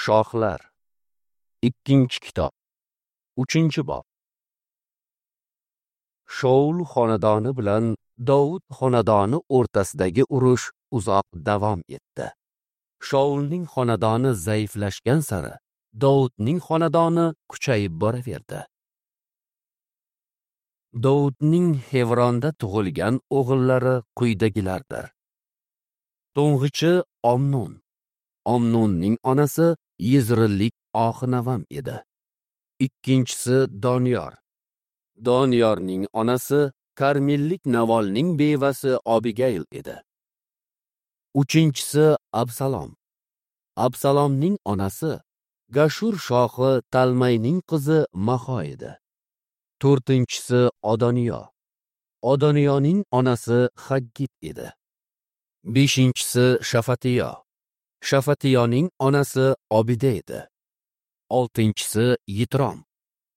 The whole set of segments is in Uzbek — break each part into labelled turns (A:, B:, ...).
A: Shohlar. 2-kitob. 3-bob. Shaul xonadoni bilan Dovud xonadoni o'rtasidagi urush uzoq davom etdi. Shaulning xonadoni zaiflashgan sari Dovudning xonadoni kuchayib boraverdi. Dovudning Xevronda tug'ilgan o'g'illari quyidagilardir. To'ng'ichi Omnon. Omnonning onasi Yizrillik Oxinavam edi. Ikkinchisi Doniyor. Doniyorning onasi Karmillik Navolning bevasi Abigayl edi. Uchinchisi Absalom. Absalomning onasi Gashur shohi Talmayning qizi Maho edi. To'rtinchisi Odoniyo. Odoniyoning onasi Haggit edi. Beshinchisi Shafatiyo. Shafatiyoning onasi Obida edi. Oltinchisi Yitrom.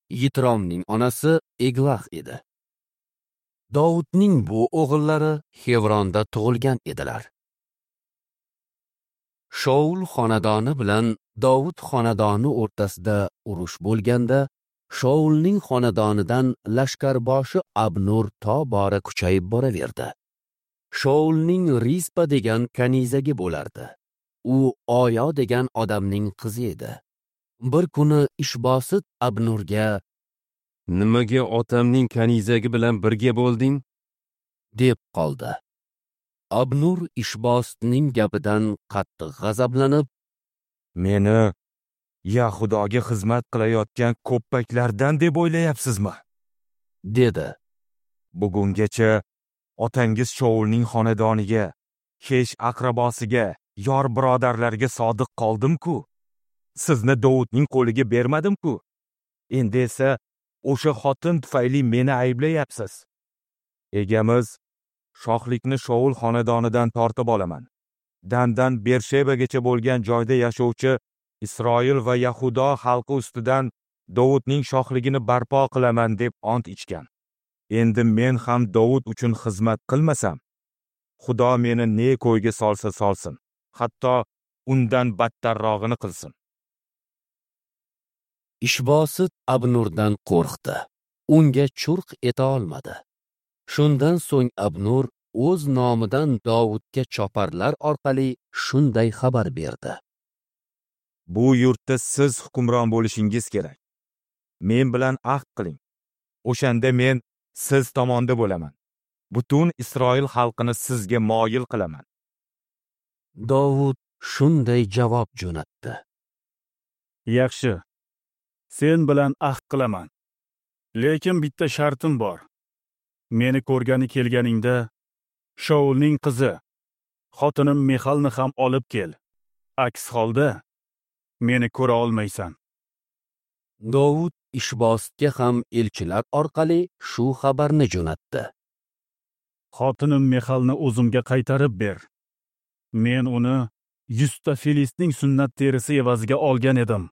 A: Yitromning onasi Eglah edi. Dovudning bu o'g'illari Xevronda tug'ilgan edilar. Shaul xonadoni bilan Dovud xonadoni o'rtasida urush bo'lganda, Shaulning xonadonidan lashkarboshi Abnur tobora kuchayib boraverdi. Shaulning Rispa degan kanizagi bo'lardi. U Oyo degan odamning qizi edi. Bir kuni Ishbosit Abnurga:
B: "Nimaga otamning kanizagi bilan birga bo'lding?"
A: deb qoldi. Abnur Ishbositning gapidan qattiq g'azablanib,
C: "Meni Yahudoga xizmat qilayotgan ko'ppaklardan deb o'ylayapsizmi?"
A: dedi.
C: "Bugungacha otangiz Shaulning xonadoniga, hech aqrabosiga, yor birodarlarga sodiq qoldim-ku. Sizni Dovudning qo'liga bermadim-ku. Endi esa o'sha xotin tufayli meni ayblayapsiz. Egamiz shohlikni Shaul xonadonidan tortib olaman. Dandan Bershebagacha bo'lgan joyda yashovchi Isroil va Yahudo xalqi ustidan Dovudning shohligini barpo qilaman deb ont ichgan. Endi men ham Dovud uchun xizmat qilmasam, Xudo meni ne ko'yga solsa solsin, hatto undan battarrog'ini qilsin."
A: Ishbosit Abnurdan qo'rqdi. Unga churq eta olmadi. Shundan so'ng Abnur o'z nomidan Dovudga choparlar orqali shunday xabar berdi:
C: "Bu yurtda siz hukmron bo'lishingiz kerak. Men bilan ahd qiling. O'shanda men siz tomonda bo'laman. Butun Isroil xalqini sizga moyil qilaman."
A: Dovud shunday javob jo'natdi:
D: "Yaxshi. Sen bilan ahd qilaman. Lekin bitta shartim bor. Meni ko'rgani kelganingda Shaulning qizi, xotinim Mixalni ham olib kel. Aks holda meni ko'ra olmaysan."
A: Dovud Ishbositga ham elchilar orqali shu xabarni jo'natdi:
D: "Xotinim Mixalni o'zimga qaytarib ber. Men uni 100 ta filistning sunnat terisi evaziga olgan edim."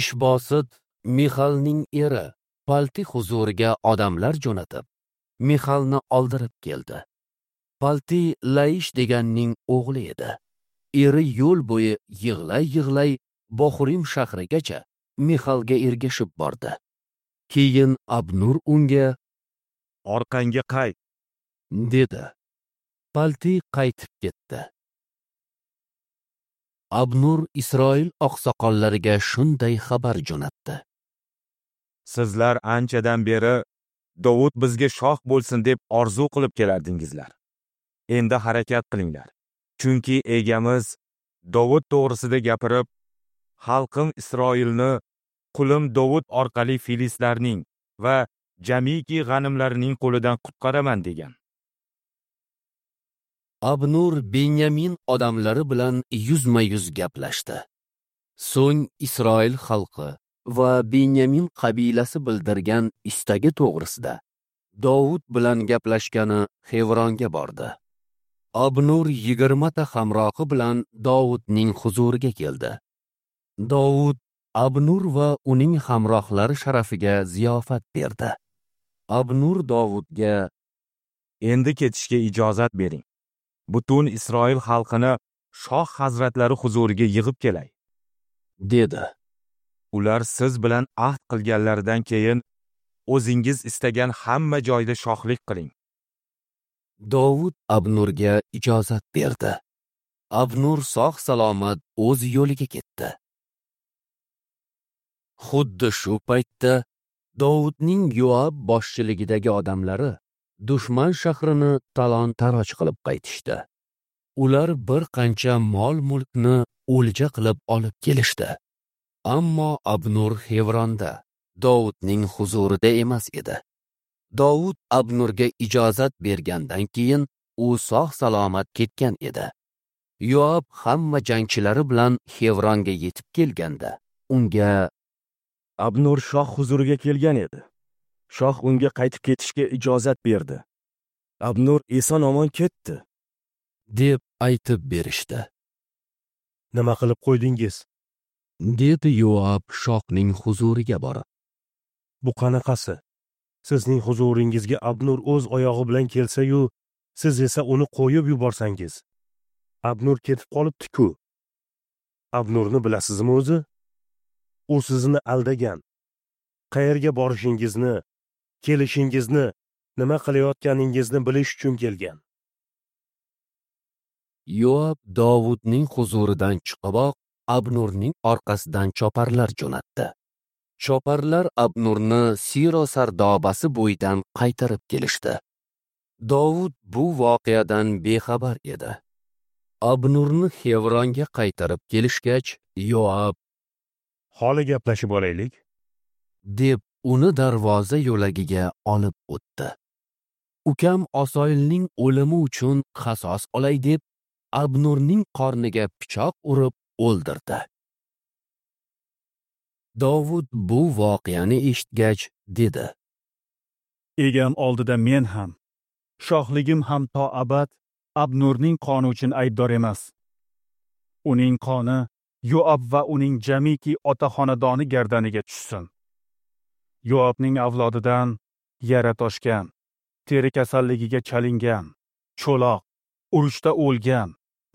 A: Ishbosit Mixalning eri Palti huzuriga odamlar jo'natib, Mixalni oldirib keldi. Palti Laish deganning o'g'li edi. Eri yo'l bo'yi yig'lay-yig'lay Bohurim shahrigacha Mixalga ergashib bordi. Keyin Abnur unga:
C: "Orqangga qayt"
A: dedi. Palti qaytib ketdi. Abnur Isroil oqsoqollariga shunday xabar jo'natdi:
C: "Sizlar anchadan beri Dovud bizga shoh bo'lsin deb orzu qilib kelardingizlar. Endi harakat qilinglar. Chunki egamiz Dovud to'g'risida gapirib, xalqim Isroilni qulim Dovud orqali filistlarning va jamiki g'animlarining qo'lidan qutqaraman degan."
A: Abnur Benyamin odamlari bilan yuzma-yuz gaplashdi. So'ng Isroil xalqi va Benyamin qabilasi bildirgan istagi to'g'risida Dovud bilan gaplashgani Xevronga bordi. Abnur 20 ta hamrohi bilan Dovudning huzuriga keldi. Dovud Abnur va uning hamrohlari sharafiga ziyofat berdi. Abnur Dovudga:
C: "Endi ketishga ijozat bering. Butun Isroil xalqini shoh hazratlari huzuriga yig'ib kelay,
A: dedi.
C: Ular siz bilan ahd qilganlaridan keyin o'zingiz istagan hamma joyda shohlik qiling.
A: Dovud Abnurga ijozat berdi. Abnur sog' salomat o'z yo'liga ketdi. Xuddi shu paytda Dovudning Yoab boshchiligidagi odamlari dushman shahrini talon-taroj qilib qaytishdi. Ular bir qancha mol-mulkni o'lja qilib olib kelishdi. Ammo Abnur Xevronda, Dovudning huzurida emas edi. Dovud Abnurga ijozat bergandan keyin u sog' salomat ketgan edi. Yoab hamma jangchilari bilan Xevronga yetib kelganda unga
E: Abnur shoh huzuriga kelgan edi. Shoh unga qaytib ketishga ijozat berdi. Abnur eson-omon ketdi,
A: deb aytib berishdi.
F: Nima qilib qo'ydingiz?
A: Dedi Yoab shohning huzuriga borib.
F: Bu qanaqasi? Sizning huzuringizga Abnur o'z oyog'i bilan kelsa-yu, siz esa uni qo'yib yuborsangiz. Abnur ketib qolibdi-ku. Abnurni bilasizmi o'zi? U sizni aldagan. Qayerga borishingizni, kelishingizni, nima qilayotganingizni bilish uchun kelgan.
A: Yoab Dovudning huzuridan chiqiboq Abnurning orqasidan choparlar jo'natdi. Choparlar Abnurni Siro sardobasi bo'yidan qaytarib kelishdi. Dovud bu voqeadan bexabar edi. Abnurni Xevronga qaytarib kelishgach, Yoab
F: "Holi gaplashib olaylik",
A: deb uni darvoza yo'lagiga olib o'tdi. Ukam Asoilning o'limi uchun qasos olay deb Abnurning qorniga pichoq urib o'ldirdi. Dovud bu voqeani eshitgach dedi:
D: Egam oldida men ham, shohligim ham to abad Abnurning qoni uchun aybdor emas. Uning qoni Yoab va uning jamiki ota xonadoni gardaniga tushsin. Yoabning avlodidan yara toshgan, teri kasalligiga chalingan, cho'loq, urushda o'lgan,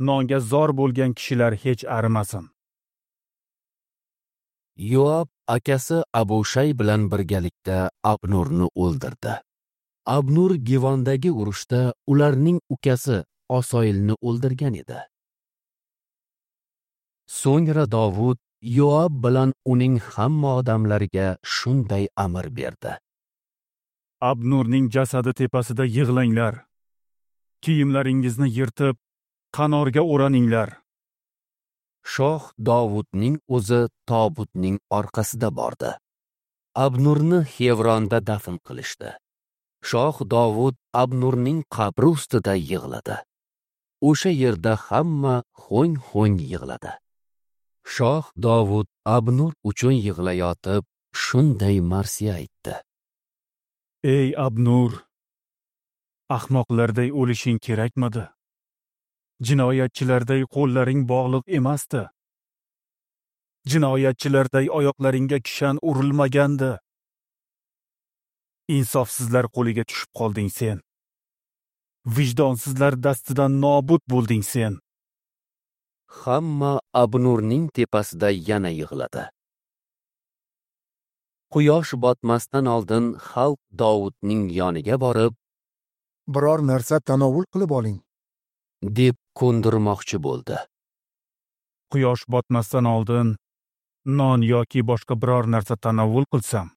D: nonga zor bo'lgan kishilar hech arimasin.
A: Yoab akasi Abushay bilan birgalikda Abnurni o'ldirdi. Abnur Givondagi urushda ularning ukasi Asoilni o'ldirgan edi. So'ngra Dovud Yoab bilan uning hamma odamlariga shunday amr berdi:
D: Abnurning jasadi tepasida yig'langlar. Kiyimlaringizni yirtib, qanorga o'raninglar.
A: Shoh Dovudning o'zi tobutning orqasida bordi. Abnurni Xevronda dafn qilishdi. Shoh Dovud Abnurning qabri ustida yig'ladi. O'sha yerda hamma ho'ng-ho'ng yig'ladi. Shoh Dovud Abnur uchun yig'layotib shunday marsiya aytdi:
D: Ey Abnur, ahmoqlarday o'lishing kerakmidi? Jinoyatchilarday qo'llaring bog'liq emasdi. Jinoyatchilarday oyoqlaringga kishan urilmagandi. Insofsizlar qo'liga tushib qolding sen. Vijdonsizlar dastidan nobud bo'lding sen.
A: Hamma Abnurning tepasida yana yig'ladi. Quyosh botmasdan oldin xalq Dovudning yoniga borib,
G: "Biror narsa tanovul qilib oling",
A: deb ko'ndirmoqchi bo'ldi.
D: Quyosh botmasdan oldin non yoki boshqa biror narsa tanovul qilsam,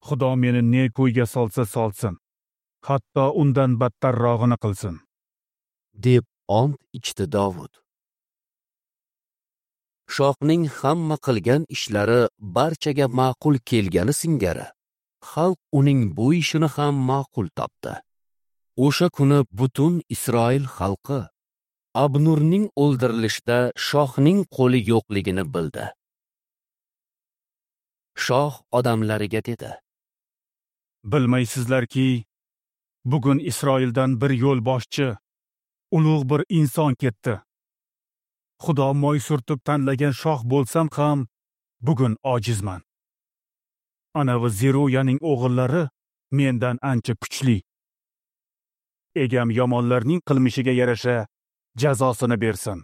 D: Xudo meni ne ko'yga solsa solsin, hatto undan battarrog'ini qilsin,
A: deb ont ichdi Dovud. Shohning hamma qilgan ishlari barchaga ma'qul kelgani singari, xalq uning bu ishini ham ma'qul topdi. O'sha kuni butun Isroil xalqi Abnurning o'ldirilishida shohning qo'li yo'qligini bildi. Shoh odamlariga dedi:
D: Bilmaysizlarki, bugun Isroildan bir yo'lboshchi, ulug' bir inson ketdi. Xudo moy surtib tanlagan shoh bo'lsam ham bugun ojizman. Anavi Zeruyaning o'g'illari mendan ancha kuchli. Egam yomonlarning qilmishiga yarasha jazosini bersin.